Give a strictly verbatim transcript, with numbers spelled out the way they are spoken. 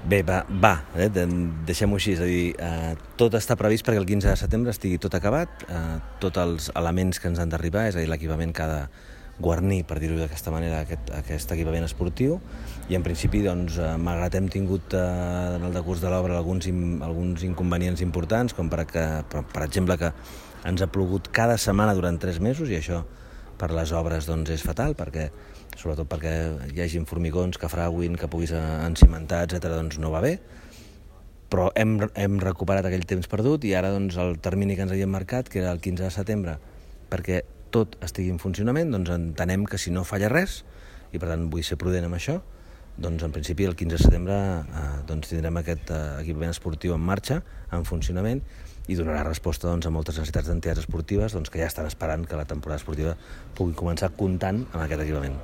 Bé, va, va eh? deixem-ho així, és a dir, eh, tot està previst perquè el quinze de setembre estigui tot acabat, eh, tots els elements que ens han d'arribar, és a dir, l'equipament que ha de guarnir, per dir-ho d'aquesta manera, aquest, aquest equipament esportiu, i en principi, doncs, eh, malgrat hem tingut eh, en el decurs de l'obra alguns, alguns inconvenients importants, com per, que, per, per exemple que ens ha plogut cada setmana durant tres mesos, i això per les obres doncs, és fatal, perquè sobretot perquè hi hagi formigons que frauin, que puguis encimentar, etcètera, doncs no va bé. Però hem, hem recuperat aquell temps perdut i ara doncs, el termini que ens havíem marcat, que era el quinze de setembre, perquè tot estigui en funcionament, doncs entenem que si no falla res, i per tant vull ser prudent amb això, doncs en principi el quinze de setembre eh, doncs, tindrem aquest eh, equipament esportiu en marxa, en funcionament, i donarà resposta doncs, a moltes necessitats d'entitats esportives doncs, que ja estan esperant que la temporada esportiva pugui començar comptant amb aquest equipament.